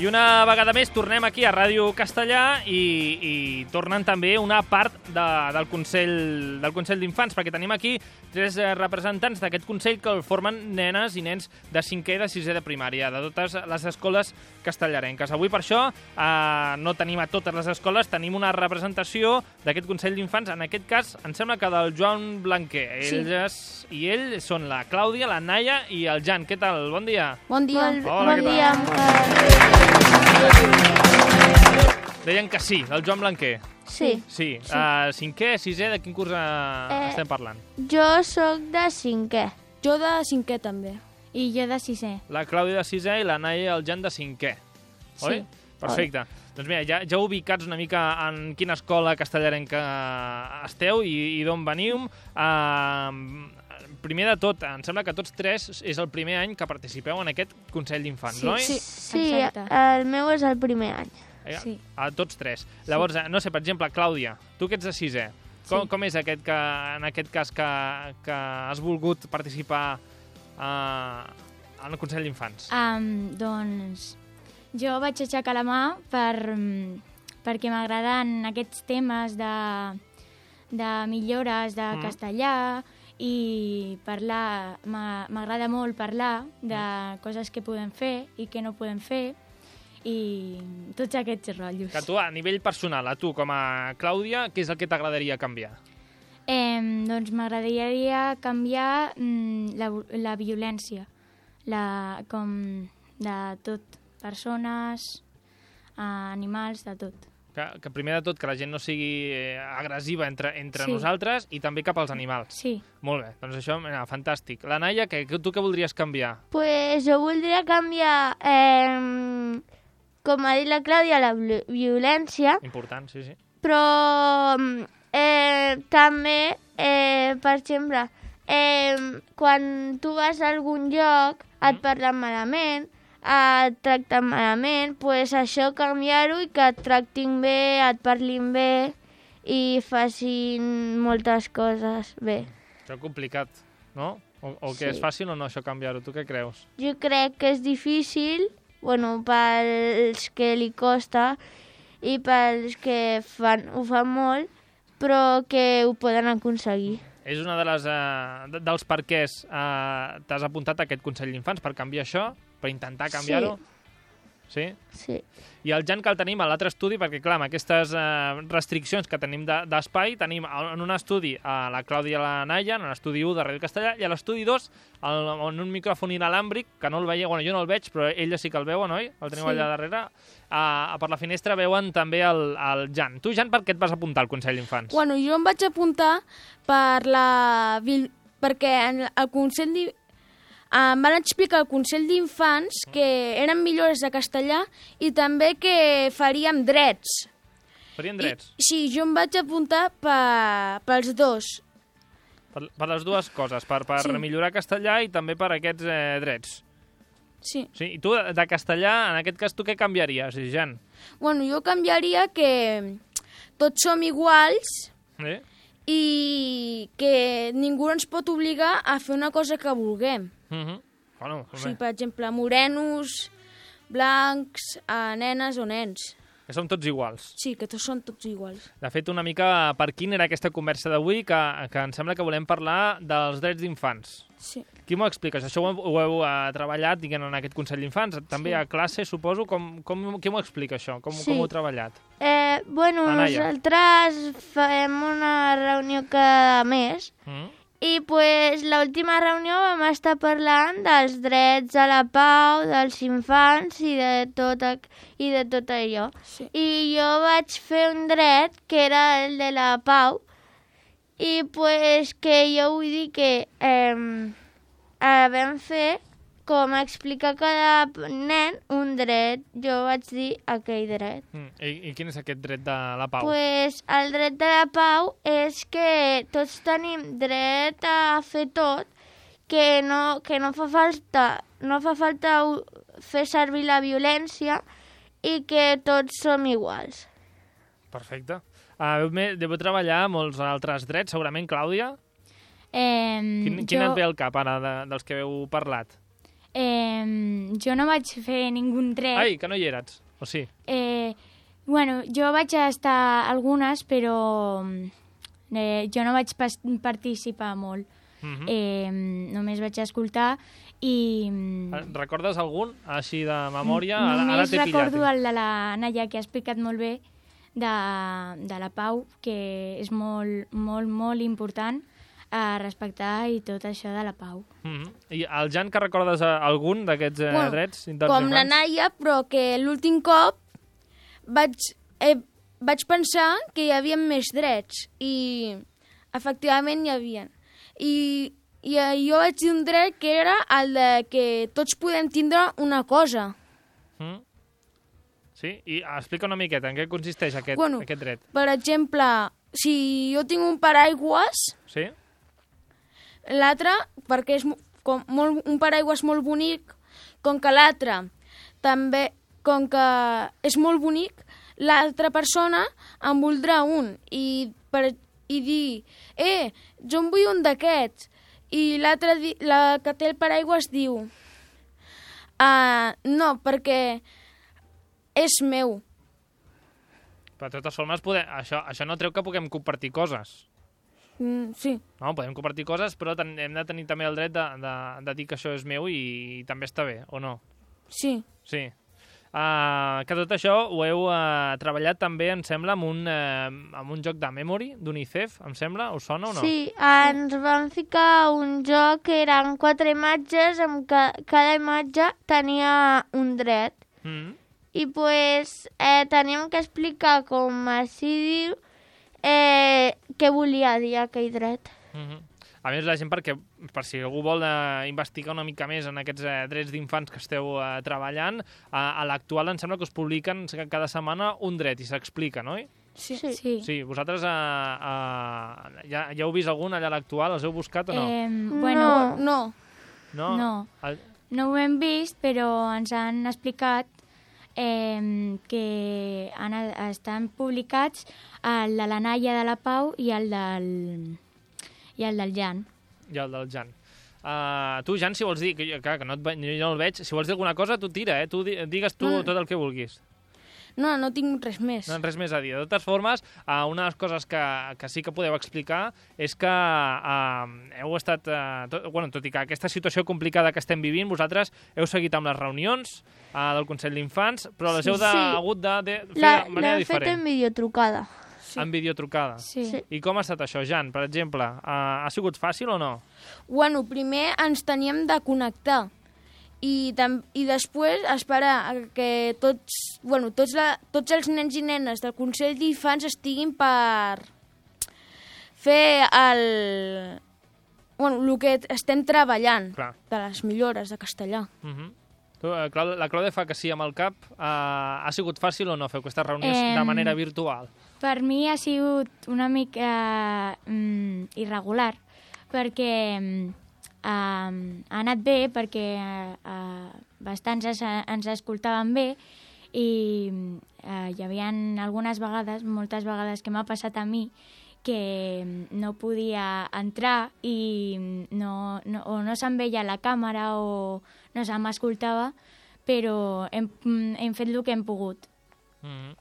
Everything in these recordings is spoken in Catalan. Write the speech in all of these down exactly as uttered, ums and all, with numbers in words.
I una vegada més tornem aquí a Ràdio Castellà i, i tornen també una part de, del Consell del Consell d'Infants, perquè tenim aquí tres representants d'aquest Consell que el formen nenes i nens de cinquè i de sisè de primària, de totes les escoles castellarenques. Avui, per això, eh, no tenim a totes les escoles, tenim una representació d'aquest Consell d'Infants, en aquest cas, em sembla que del Joan Blanquer. Sí. Ells i ell són la Clàudia, la Naia i el Jan. Què tal? Bon dia. Bon dia. Hola, bon què dia. Deien que sí, del Joan Blanquer. Sí. Sí. sí. Uh, cinquè, sisè, de quin curs uh, Eh, estem parlant? Jo sóc de cinquè. Jo de cinquè també. I jo de sisè. La Clàudia de sisè i la Naia i el Jan de cinquè. Oi? Sí. Perfecte. Oi. Doncs mira, ja, ja ubicats una mica en quina escola castellarenca esteu i, i d'on veniu. Uh, primer de tot, em sembla que tots tres és el primer any que participeu en aquest Consell d'Infants, Sí, oi? sí, sí, Exacte. el meu és el primer any. Eh, Sí. A tots tres. Llavors, no sé, per exemple, Clàudia, tu que ets de sisè, com, Sí. com és aquest que, en aquest cas que, que has volgut participar uh, en el Consell d'Infants? Um, doncs jo vaig aixecar la mà per, perquè m'agraden aquests temes de, de millores de Mm. castellà i parlar, m'a- m'agrada molt parlar de coses que podem fer i que no podem fer i tots aquests rotllos. Que tu, a nivell personal, a tu com a Clàudia, què és el que t'agradaria canviar? Eh, doncs m'agradaria canviar mm, la, la violència, la, com de tot, persones, eh, animals, de tot. Que, que primer de tot que la gent no sigui eh, agressiva entre, entre Sí. nosaltres i també cap als animals. Sí. Molt bé, doncs això, mira, fantàstic. La Naia, que, que tu què voldries canviar? Pues jo voldria canviar, eh, com ha dit la Clàudia, la vi- violència, Important, sí, sí. però eh, també, eh, per exemple, eh, quan tu vas a algun lloc et parlen malament, et tracten malament, pues això canviar-ho i que et tractin bé, et parlin bé i facin moltes coses bé. Això és complicat, no? O, o que Sí. és fàcil o no, això canviar-ho? Tu què creus? Jo crec que és difícil, bueno, pels que li costa i pels que fan, ho fan molt, però que ho poden aconseguir. És una de les, eh, de- dels perquès eh, t'has apuntat a aquest Consell d'Infants per canviar això, per intentar canviar-ho? Sí. Sí. I el Jan que el tenim a l'altre estudi, perquè clar, amb aquestes eh, restriccions que tenim de- d'espai, tenim en un estudi a la Clàudia i la Naia, en l'estudi u de Ràdio Castellà, i a l'estudi dos, el, en un micròfon inalàmbric, que no el veieu, bueno, jo no el veig, però elles sí que el veuen, oi? El teniu Sí. allà darrere. A, per la finestra veuen també el, el Jan. Tu, Jan, per què et vas apuntar al Consell d'Infants? Bueno, jo em vaig apuntar per la... vil- perquè en el Consell d'I- em van explicar al Consell d'Infants que eren millores de castellà i també que faríem drets. Farien drets? I, sí, jo em vaig apuntar per, pels dos. Per, per les dues coses, per, per Sí. millorar castellà i també per aquests eh, drets. Sí. Sí, i tu, de castellà, en aquest cas, tu què canviaries, Jan? Bueno, jo canviaria que tots som iguals Eh? i que ningú ens pot obligar a fer una cosa que vulguem. Uh -huh. Bueno, O sigui, bé, per exemple, morenos, blancs, eh, nenes o nens. que som tots iguals. Sí, que tots són tots iguals. De fet, una mica per quin era aquesta conversa d'avui, que, que em sembla que volem parlar dels drets d'infants. Sí. Qui m'ho explica? Això ho, heu- ho heu uh, treballat, diguem, en aquest Consell d'Infants? També Sí. a classe, suposo? Com, com, qui m'ho explica, això? Com, Sí. com ho heu treballat? Eh, bueno, La Naia. nosaltres fem una reunió cada mes Mm? i pues, l'última reunió vam estar parlant dels drets a la pau, dels infants i de tot, ac- i de tot allò. Sí. I jo vaig fer un dret que era el de la pau i pues, que jo vull dir que eh, eh, vam fer com explicar a cada nen un dret. Jo vaig dir aquell dret. Mm. I, I quin és aquest dret de la pau? Pues el dret de la pau és que tots tenim dret a fer tot, que no, que no fa falta, no fa falta u- fer servir la violència i que tots som iguals. Perfecte. Uh, heu, me- deveu treballar molts altres drets, segurament, Clàudia? Eh, Quin, quin jo, et ve al cap, ara, de, dels que heu parlat? Eh, jo no vaig fer ningú dret. Ai, que no hi eres, o sí? Eh, bueno, jo vaig estar algunes, però eh, jo no vaig pas participar molt. Mhm. Eh, només vaig escoltar i... Recordes algun, així de memòria? Ara, ara Només t'he pillat. recordo el de la Naya, que ha explicat molt bé, de, de la Pau, que és molt, molt, molt important a respectar i tot això de la Pau. Mhm. I el Jan, que recordes eh, algun d'aquests eh, Bueno, drets? Com la Naia, però que l'últim cop vaig, eh, vaig pensar que hi havia més drets i efectivament hi havia. I, i eh, jo vaig dir un dret que era el de que tots podem tindre una cosa. Mm. Sí? I explica una miqueta en què consisteix aquest, Bueno, aquest dret. Per exemple, si jo tinc un paraigües, Sí? l'altre, perquè és mo- com molt, un paraigües molt bonic, com que l'altre també, com que és molt bonic, l'altra persona en voldrà un i, per, i dir, eh, jo en vull un d'aquests. I l'altre, di- la que té el paraigües diu, ah, no, perquè és meu. Però de totes formes, poder, això, això no treu que puguem compartir coses. Mm, sí. No, podem compartir coses, però ten, hem de tenir també el dret de, de, de dir que això és meu i, i també està bé, o no? Sí. Sí. Uh, que tot això ho heu uh, treballat també, em sembla, amb un, uh, amb un joc de memory d'UNICEF, em sembla? Us sona o no? Sí, ens vam ficar un joc que eren quatre imatges, amb ca cada imatge tenia un dret. Mm. I pues, eh, teníem que explicar com així diu eh, què volia dir aquell dret. Mm -hmm. A més, la gent, perquè, per si algú vol eh, investigar una mica més en aquests eh, drets d'infants que esteu eh, treballant, eh, a l'actual em sembla que us publiquen cada setmana un dret i s'explica, no? Sí. Sí. Sí. Sí, vosaltres eh, eh, ja, ja heu vist algun allà a l'actual? Els heu buscat o no? Eh, bueno, No. no? no. El... no ho hem vist, però ens han explicat eh, que han, estan publicats el de la Naia de la Pau i el del, i el del Jan. I el del Jan. Uh, tu, Jan, si vols dir, que, jo- que, que no, et, ve- jo no el veig, si vols dir alguna cosa, tu tira, eh? Tu di, digues tu Mm. tot el que vulguis. No, no tinc res més. No, res més a dir. De totes formes, uh, una de les coses que, que sí que podeu explicar és que uh, heu estat... Uh, tot, bueno, tot i que aquesta situació complicada que estem vivint, vosaltres heu seguit amb les reunions uh, del Consell d'Infants, però les Sí, heu de, sí. hagut de, de fer La- de manera L'hem fet diferent. en videotrucada. Sí. En videotrucada. Sí. Sí. I com ha estat això, Jan? Per exemple, uh, ha sigut fàcil o no? Bueno, primer ens teníem de connectar i, tam i després esperar a que tots, bueno, tots, la, tots els nens i nenes del Consell d'Infants estiguin per fer el, bueno, el que estem treballant Clar. de les millores de castellà. Uh -huh. tu, uh, Clau- la Clàudia fa que sí amb el cap. Uh, ha sigut fàcil o no fer aquestes reunions de Em, manera virtual? Per mi ha sigut una mica mm, irregular, perquè mm, um, ha anat bé, perquè uh, bastants es, ens escoltaven bé i uh, hi havia algunes vegades, moltes vegades que m'ha passat a mi, que no podia entrar i no, no, o no se'm veia la càmera o no se m'escoltava, però hem, hem fet el que hem pogut. Mm -hmm.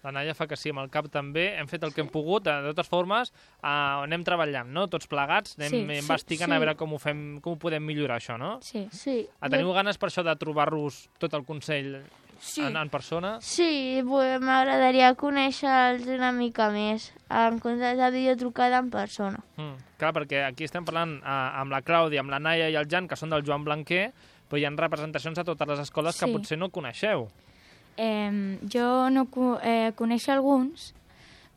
La Naia fa que sí amb el cap també. Hem fet el que hem pogut. De totes formes, uh, anem treballant, no? Tots plegats, anem Sí, sí, sí, investigant sí. a veure com ho, fem, com ho podem millorar, això, no? Sí. Sí. Ah, teniu ganes per això de trobar-vos tot el Consell Sí. en, en persona? Sí, pues, m'agradaria conèixer-los una mica més, en comptes de videotrucada en persona. Mm, clar, perquè aquí estem parlant uh, amb la Clàudia, amb la Naia i el Jan, que són del Joan Blanquer, però hi ha representacions a totes les escoles que Sí. potser no coneixeu. Eh, jo no co eh, coneixo alguns,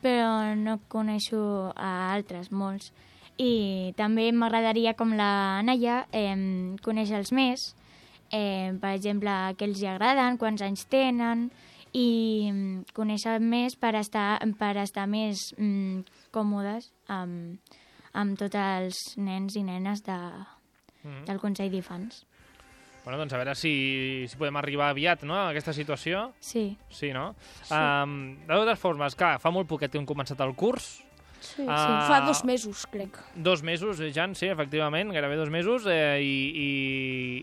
però no coneixo a altres, molts. I també m'agradaria, com la Naia, eh, conèixer-los més, eh, per exemple, què els hi agraden, quants anys tenen, i mm, conèixer més per estar, per estar més mm, còmodes amb, amb tots els nens i nenes de, Mm. del Consell d'Infants. Bueno, doncs a veure si, si podem arribar aviat, no?, a aquesta situació. Sí. Sí, no? Sí. Um, de totes formes, clar, fa molt poquet que hem començat el curs. Sí, Ah, Sí, fa dos mesos, crec. Dos mesos, eh, Jan, sí, efectivament, gairebé dos mesos. Eh, i,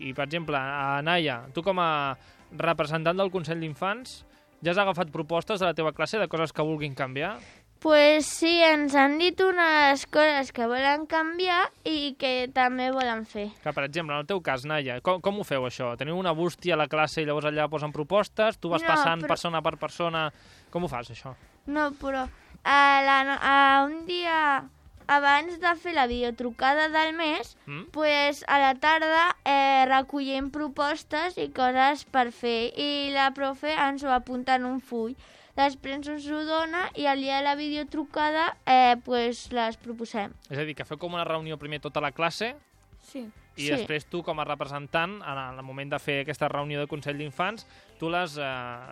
i, I, per exemple, a Naia, tu com a representant del Consell d'Infants, ja has agafat propostes de la teva classe de coses que vulguin canviar? Pues sí, ens han dit unes coses que volen canviar i que també volen fer. Que, per exemple, en el teu cas, Naia, com, com ho feu, això? Teniu una bústia a la classe i llavors allà posen propostes? Tu vas No, passant però- persona per persona? Com ho fas, això? No, però a la, no- a un dia abans de fer la videotrucada del mes, Mm? pues a la tarda eh, recollim propostes i coses per fer i la profe ens ho apunta en un full. Després ens ho dona i al dia de la videotrucada eh, pues les proposem. És a dir, que feu com una reunió primer tota la classe Sí. i Sí. després tu, com a representant, en el moment de fer aquesta reunió de Consell d'Infants, tu les eh,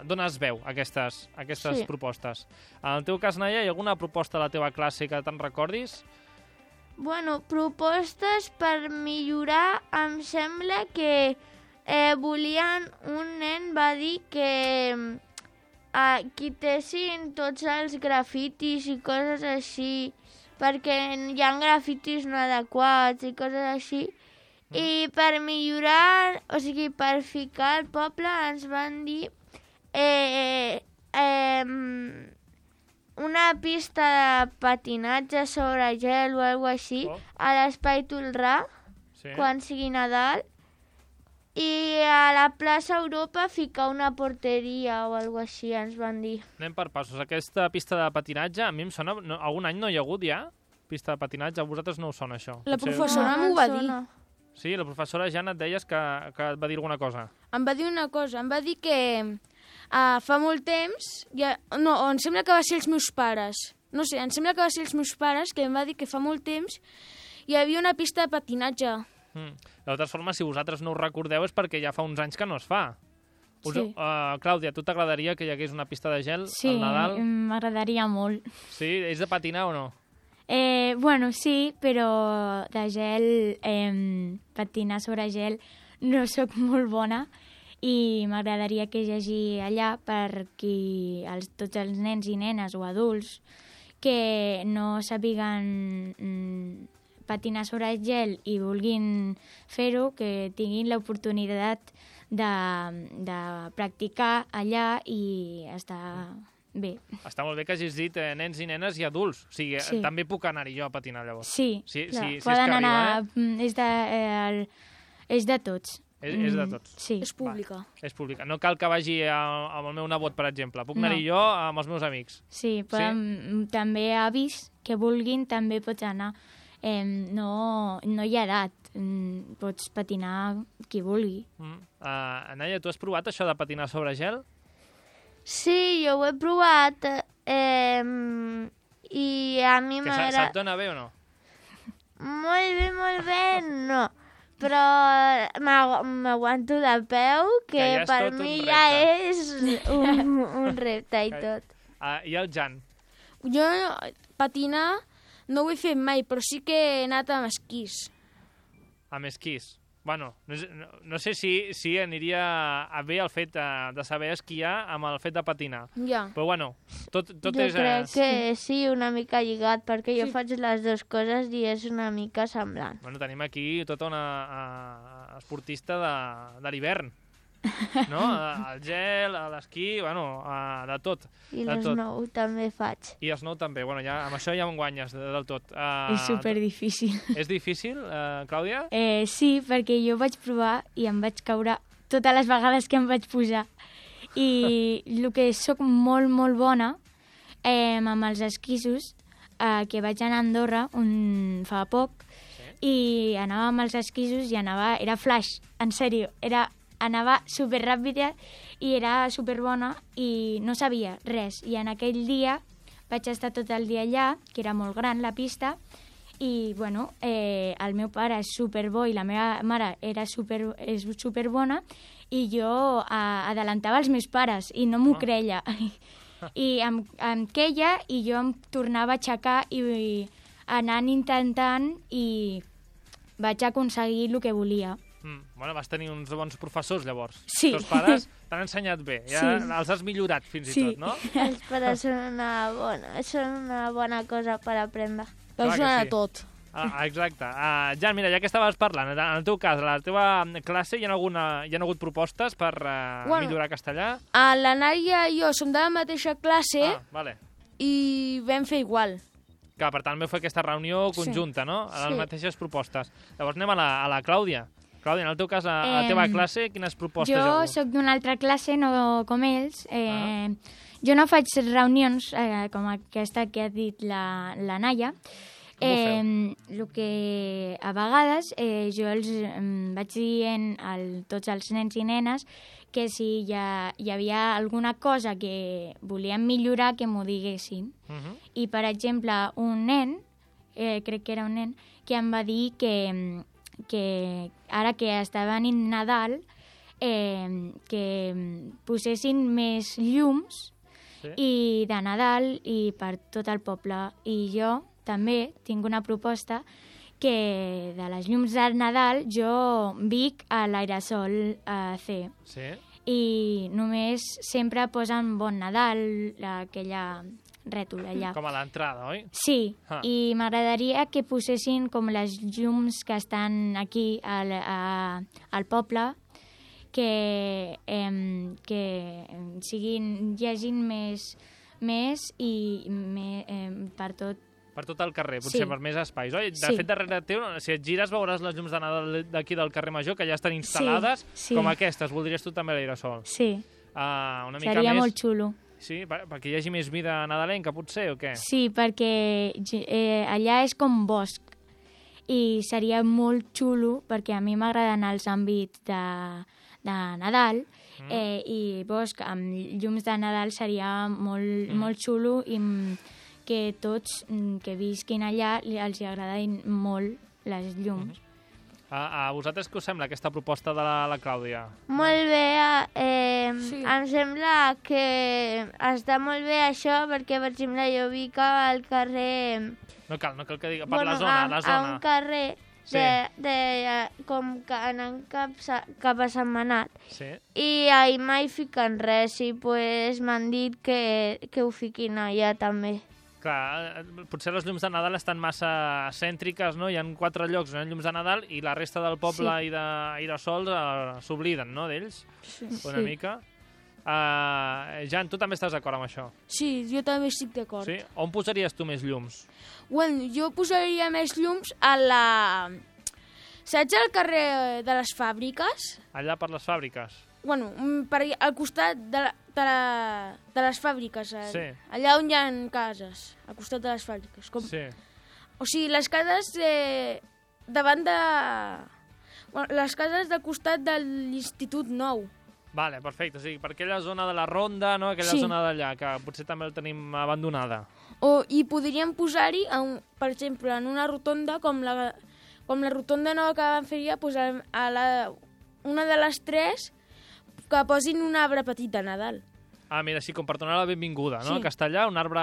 dones veu a aquestes, a aquestes Sí. propostes. En el teu cas, Naia, hi ha alguna proposta de la teva classe que te'n recordis? Bueno, propostes per millorar, em sembla que eh, volien, un nen va dir que eh, quitessin tots els grafitis i coses així, perquè hi ha grafitis no adequats i coses així. I per millorar, o sigui, per ficar al poble, ens van dir eh, eh, una pista de patinatge sobre gel o alguna així Oh. a l'Espai Tolrà, Sí. quan sigui Nadal, i a la plaça Europa ficar una porteria o alguna així, ens van dir. Anem per passos. Aquesta pista de patinatge, a mi em sona... No, algun any no hi ha hagut ja? Pista de patinatge? A vosaltres no us sona això? La Potser- professora No, m'ho no va ens dir. sona. Sí, la professora Jan et deies que, que et va dir alguna cosa. Em va dir una cosa, em va dir que uh, fa molt temps, ja, no, em sembla que va ser els meus pares, no sé, em sembla que va ser els meus pares, que em va dir que fa molt temps hi havia una pista de patinatge. Mm. De totes formes, si vosaltres no us recordeu és perquè ja fa uns anys que no es fa. Us, Sí. uh, Clàudia, tu t'agradaria que hi hagués una pista de gel Sí, al Nadal? m'agradaria molt. Sí? És de patinar o no? Eh, bueno, sí, però de gel, eh, patinar sobre gel, no sóc molt bona i m'agradaria que hi hagi allà per qui, els, tots els nens i nenes o adults que no sàpiguen mm, patinar sobre gel i vulguin fer-ho, que tinguin l'oportunitat de, de practicar allà i estar bé. Està molt bé que hagis dit eh, nens i nenes i adults. O sigui, Sí. sí. també puc anar-hi jo a patinar, llavors. Sí, Sí, clar, sí, sí, és poden que anar... arriba, eh? mm, És de, eh, el, és de tots. És, és de Mm, tots. Sí. És pública. És pública. No cal que vagi a, amb el meu nebot, per exemple. Puc No. anar-hi jo amb els meus amics. Sí, poden, també avis que vulguin també pots anar. Eh, no, no hi ha edat, mm, pots patinar qui vulgui. Mm. Uh, Naia, tu has provat això de patinar sobre gel? Sí, jo ho he provat eh, i a mi Que se- m'agrada... se't dona bé o no? Molt bé, molt bé, no. Però m'agu- m'aguanto de peu, que, Que ja és per tot un mi repte. ja és un, un repte i Que- tot. Uh, I el Jan? Jo patinar no ho he fet mai, però sí que he anat amb esquís. Amb esquís. Bueno, no, sé- no, no sé si, si aniria a bé el fet de, de saber esquiar amb el fet de patinar. Ja. Però bueno, tot, tot jo és... crec eh, que sí, una mica lligat, perquè jo Sí. faig les dues coses i és una mica semblant. Bueno, tenim aquí tota una uh, esportista de, de l'hivern. No? Uh, el gel, l'esquí, bueno, uh, de tot. I De les tot. nou també faig. I snow també. Bueno, ja, amb això ja em guanyes de, del tot. Uh, És super difícil. És difícil, uh, Clàudia? Eh, sí, perquè jo vaig provar i em vaig caure totes les vegades que em vaig posar. I el que sóc molt, molt bona eh, amb els esquissos, eh, que vaig anar a Andorra un, fa poc, i anava amb els esquissos i anava... Era flash, en sèrio. Era, anava superràpida i era superbona i no sabia res. I en aquell dia vaig estar tot el dia allà, que era molt gran la pista, i bueno, eh, el meu pare és superbo i la meva mare era super, és superbona i jo eh, adelantava els meus pares i no m'ho Ah. creia. I em, em queia i jo em tornava a aixecar i, i anant intentant i vaig aconseguir el que volia. Mm. Bueno, vas tenir uns bons professors, llavors. Sí. Els teus pares t'han ensenyat bé, ja Sí. els has millorat fins Sí. i tot, no? Els pares són una bona, són una bona cosa per aprendre. Clar Veus que una sí. de tot. Ah, exacte. Uh, Jan, mira, ja que estaves parlant, en el teu cas, a la teva classe hi ha, alguna, hi ha hagut propostes per uh, Bueno. millorar castellà? A la Nàdia i jo som de la mateixa classe Ah, vale. i vam fer igual. Que per tant veu fer aquesta reunió conjunta, no? A les Sí. mateixes propostes. Llavors anem a la, a la Clàudia. Clàudia, en el teu cas, a, a la teva Em, classe, quines propostes hi ha Jo hagut? sóc d'una altra classe, no com ells. Eh, Jo no faig reunions eh, com aquesta que ha dit la, la Naia. Com ho Eh, el que a vegades eh, jo els em, vaig dient a tots els nens i nenes que si hi, ha, hi havia alguna cosa que volien millorar, que m'ho diguessin. Uh -huh. I, per exemple, un nen, eh, crec que era un nen, que em va dir que, que ara que està venint Nadal, eh, que posessin més llums Sí. i de Nadal i per tot el poble. I jo també tinc una proposta que de les llums de Nadal jo vic a l'Aerosol eh, C. Sí. I només sempre posen Bon Nadal, aquella rètol allà. Com a l'entrada, oi? Sí, Ah. i m'agradaria que posessin com les llums que estan aquí al, a, al poble, que, eh, que siguin, hi hagin més, més i me, eh, per tot. Per tot el carrer, potser Sí. per més espais. Oi? De Sí. fet, darrere teu, si et gires, veuràs les llums de Nadal d'aquí del carrer Major, que ja estan instal·lades, sí. com aquestes. Voldries tu també l'aerosol? Sí, Uh, una mica seria més... molt xulo. Sí, per, perquè hi hagi més vida nadalenca, potser, o què? Sí, perquè eh, allà és com bosc i seria molt xulo perquè a mi m'agrada anar als àmbits de, de Nadal Mm. eh, i bosc amb llums de Nadal seria molt, mm. molt xulo i mm, que tots mm, que visquin allà li- els hi agradin molt les llums. A, a vosaltres què us sembla aquesta proposta de la, la Clàudia? Molt bé, eh, Sí. em sembla que està molt bé això perquè, per exemple, jo vic al carrer... No cal, no cal que digui... Per la zona, a, la a zona. un carrer Sí. de, de, eh, com que anant cap, sa- cap a Sant Manat. Sí. I ahir mai fiquen res i pues, m'han dit que, que ho fiquin allà també. Clar, eh, potser les llums de Nadal estan massa cèntriques, no? Hi ha quatre llocs on hi ha llums de Nadal i la resta del poble Sí. i d'aerosols eh, s'obliden, no?, d'ells, Sí. una mica. Uh, Jan, tu també estàs d'acord amb això? Sí, jo també estic d'acord. Sí? On posaries tu més llums? Bueno, jo posaria més llums a la... Saps al carrer de les fàbriques? Allà per les fàbriques? Bueno, mm, per allà- al costat de, la, de, la, de les fàbriques. eh, Sí. Allà on hi ha cases, al costat de les fàbriques. Com... Sí. O sigui, les cases eh, davant de... Bueno, les cases del costat de l'Institut Nou. Vale, perfecte. O sigui, per aquella zona de la Ronda, no? Aquella Sí. zona d'allà, que potser també el tenim abandonada. O, I podríem posar-hi, en- per exemple, en una rotonda, com la, com la rotonda nova que van fer ja, pues, a, a la, una de les tres, que posin un arbre petit de Nadal. Ah, mira, sí, com per donar la benvinguda, no? Sí. A Castellà, un arbre...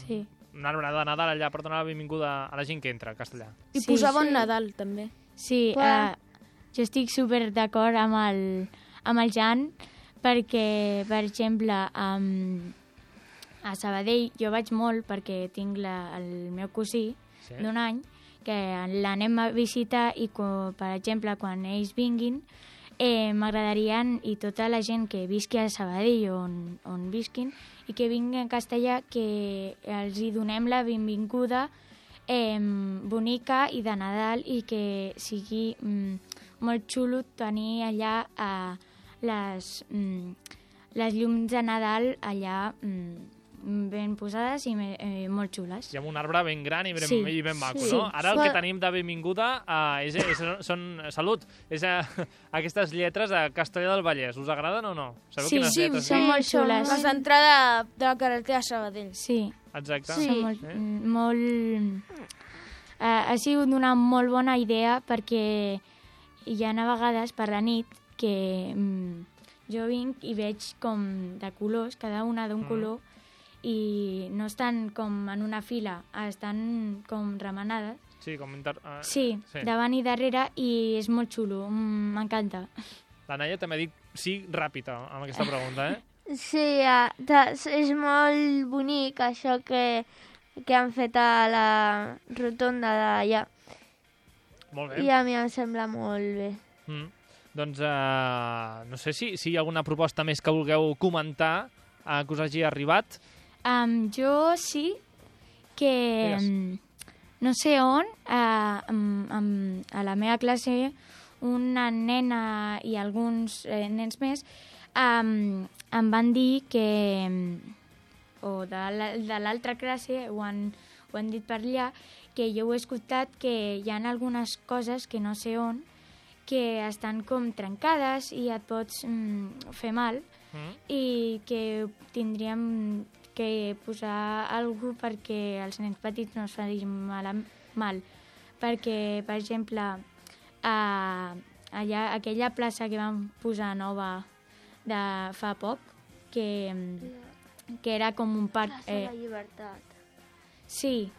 Sí. Un arbre de Nadal allà per donar la benvinguda a la gent que entra a Castellà. I Sí, posar Bon sí. Nadal, també. Sí, Clar. eh, jo estic super d'acord amb el, amb el Jan perquè, per exemple, um, a Sabadell jo vaig molt perquè tinc la, el meu cosí Sí. d'un any que l'anem a visitar i, co, per exemple, quan ells vinguin, eh, m'agradarien, i tota la gent que visqui a Sabadell on, on visquin i que vinguin a Castellà, que els hi donem la benvinguda eh, bonica i de Nadal i que sigui mm, molt xulo tenir allà eh, les, mm, les llums de Nadal allà mm, ben posades i me, eh, molt xules. I amb un arbre ben gran i ben, Sí. i ben maco, Sí. no? Ara el Sí. que tenim de benvinguda uh, és, és, són... Salut! És uh, aquestes lletres de Castellà del Vallès. Us agraden o no? Sabeu Sí, quines sí, lletres? són sí, molt són xules. Les d'entrada de la carretera de Sabadell. Sí, Exacte. Sí. són molt... Sí. mm, molt eh, ha sigut una molt bona idea perquè hi ha a vegades per la nit que mm, jo vinc i veig com de colors, cada una d'un Mm. color, i no estan com en una fila, estan com remenades, Sí, com inter... Uh, Sí, sí, davant i darrere, i és molt xulo, mm, m'encanta. La Naia també ha dit sí ràpid amb aquesta pregunta, eh? Sí, uh, és molt bonic això que, que han fet a la rotonda d'allà. Molt bé. I a mi em sembla molt bé. Mm. Doncs uh, no sé si, si hi ha alguna proposta més que vulgueu comentar uh, que us hagi arribat. Um, jo sí que, um, no sé on, uh, um, um, a la meva classe, una nena i alguns eh, nens més um, em van dir que, o de l'altra classe, ho han, ho han dit per allà, que jo he escoltat que hi ha algunes coses que no sé on, que estan com trencades i et pots mm, fer mal, mm. i que tindríem que posar alguna cosa perquè els nens petits no es facin mal, mal. Perquè, per exemple, a, allà, aquella plaça que vam posar nova de fa poc, que, que era com un parc... Plaça de la Llibertat. Sí,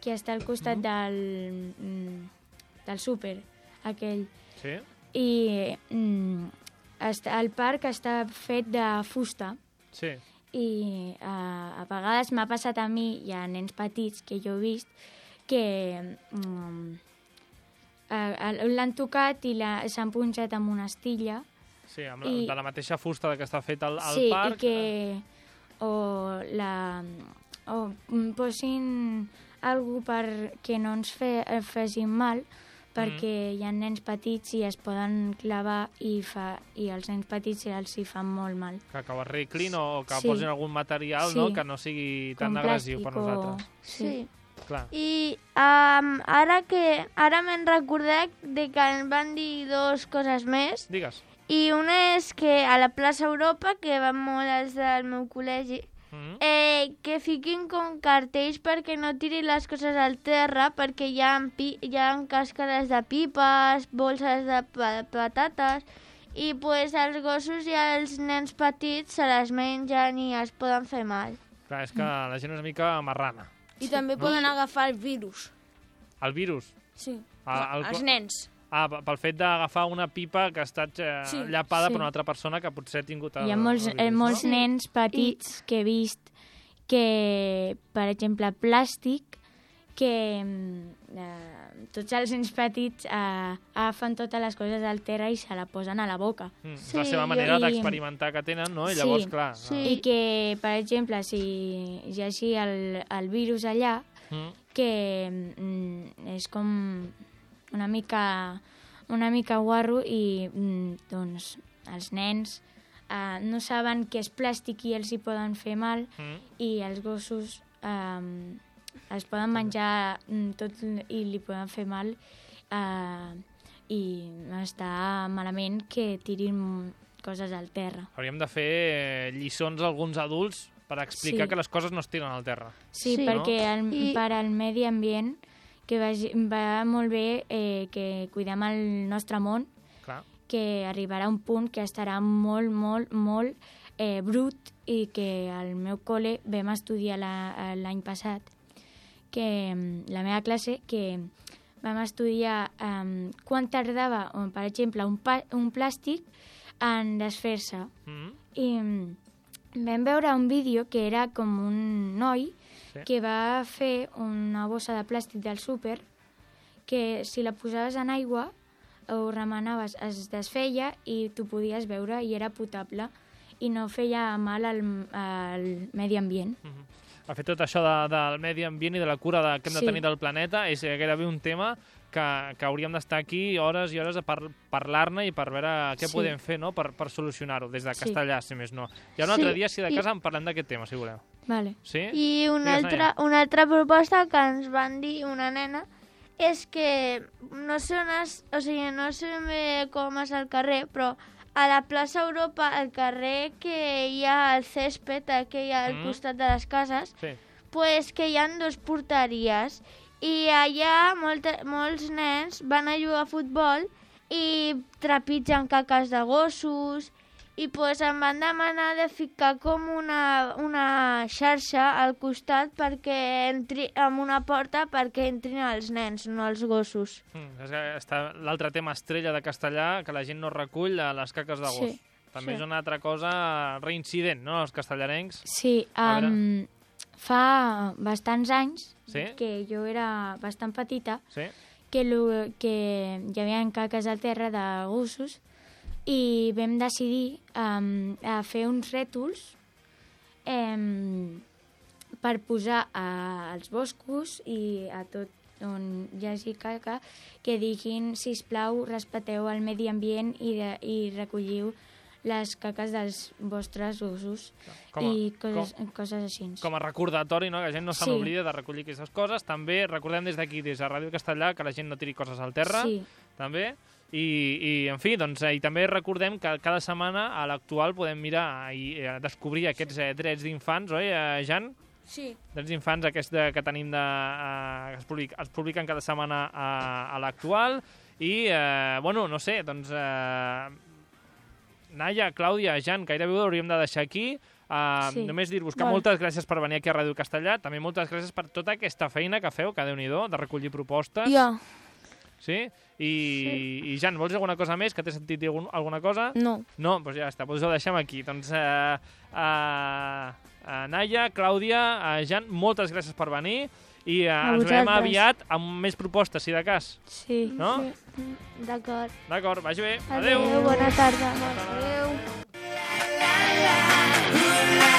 que està al costat mm. del, del súper, aquell. Sí? I mm, està, el parc està fet de fusta. Sí. I uh, a vegades m'ha passat a mi i a nens petits que jo he vist que um, uh, l'han tocat i s'han punxat amb una estilla. Sí, amb la, i, de la mateixa fusta que està fet al, al sí, parc. Sí, i que o, la, o posin alguna per que no ens fe, facin mal, perquè mm. hi ha nens petits i es poden clavar i, fa, i els nens petits els hi fan molt mal. Que, que ho arreglin o que sí. posin algun material sí. no? Que no sigui tan agressiu per nosaltres. O... Sí. sí. Clar. I um, ara que ara me'n recordat de que em van dir dues coses més. Digues. I una és que a la plaça Europa, que van molt els del meu col·legi, mm. eh, que fiquin com cartells perquè no tirin les coses al terra, perquè hi ha, pi hi ha càscares de pipes, bolses de pa patates, i pues, els gossos i els nens petits se les mengen i es poden fer mal. Clar, és que la gent és una mica marrana. I sí. també no? poden agafar el virus. El virus? Sí, a, el... els nens. Ah, pel fet d'agafar una pipa que ha estat eh, sí. llapada sí. per una altra persona que potser ha tingut... El, Hi ha molts, el virus, eh, molts no? nens petits I... que he vist que, per exemple, plàstic, que eh, tots els nens petits eh, agafen totes les coses al terra i se la posen a la boca. Mm, sí, la seva manera i... d'experimentar que tenen, no? I sí, llavors, clar... Sí. I que, per exemple, si hi hagi el, el virus allà, mm. que mm, és com una mica, una mica guarro i mm, doncs els nens eh, no saben que és plàstic i els hi poden fer mal mm. i els gossos eh, els poden menjar tot i li poden fer mal eh, i està malament que tirin coses al terra. Hauríem de fer eh, lliçons a alguns adults per explicar sí. que les coses no es tiren al terra. Sí, sí. perquè el, I... per al medi ambient que va, va molt bé eh, que cuidem el nostre món, Clar. que arribarà un punt que estarà molt, molt, molt eh, brut i que al meu col·le vam estudiar l'any passat, que la meva classe, que vam estudiar um, quan tardava, per exemple, un, pa, un plàstic en desfer-se. Mm-hmm. I vam veure un vídeo que era com un noi sí. que va fer una bossa de plàstic del súper que si la posaves en aigua o remenaves es desfeia i tu podies veure i era potable i no feia mal al, al medi ambient. Mm-hmm. De fet, tot això de, del medi ambient i de la cura de, que hem de sí. tenir del planeta és gairebé un tema que, que hauríem d'estar aquí hores i hores a par, parlar-ne i per veure què sí. podem fer no? per, per solucionar-ho, des de Castellà, sí. si més no. I un altre sí. dia, si de cas, I... en parlem d'aquest tema, si voleu. Vale. Sí? I una altra, una altra proposta que ens van dir una nena és que no sé on és, o sigui, no sé bé com és el carrer, però a la plaça Europa, al carrer que hi ha el césped, aquell al mm. costat de les cases, sí. pues que hi ha dos porteries i allà molt, molts nens van a jugar a futbol i trepitgen caques de gossos i pues, em van demanar de ficar com una, una xarxa al costat perquè entri amb una porta perquè entrin els nens, no els gossos. Mm, és que està l'altre tema estrella de Castellà, que la gent no recull a les caques de gos. Sí. També Sí. és una altra cosa reincident, no?, els castellarencs. Sí, A um, fa bastants anys, Sí? que jo era bastant petita, Sí? que, lo, que hi havia caques al terra de gossos i vam decidir um, a fer uns rètols um, per posar a, als boscos i a tot on hi hagi caca que diguin, sisplau, respecteu el medi ambient i, de, i recolliu les caques dels vostres gossos Com a- i coses, com- coses així. Com a recordatori, no?, que la gent no se Sí. n'oblida de recollir aquestes coses. També recordem des d'aquí, des de Ràdio Castellà, que la gent no tiri coses al terra, Sí. també. I, i, en fi, doncs, eh, i també recordem que cada setmana a l'actual podem mirar i eh, descobrir aquests eh, drets d'infants, oi, eh, Jan? Sí. Drets d'infants aquests de, que tenim de... Eh, que es, public, es publiquen cada setmana a, a l'actual. I, eh, bueno, no sé, doncs... Eh, Naia, Clàudia, Jan, gairebé ho hauríem de deixar aquí. Uh, Sí. Només dir-vos que Val. moltes gràcies per venir aquí a Ràdio Castellà. També moltes gràcies per tota aquesta feina que feu, que Déu-n'hi-do, de recollir propostes. Jo, Sí? I, I Jan, vols dir alguna cosa més? Que t'he sentit dir algun, alguna cosa? no. No? Doncs ja està, doncs ho deixem aquí. Doncs, uh, uh, uh, Naia, Clàudia, uh, Jan, moltes gràcies per venir i uh, ens veurem vosaltres. aviat amb més propostes, si de cas. Sí. No? Sí. D'acord. D'acord, vagi bé. Adéu. Bona tarda. Adéu. La, la, la, la, la.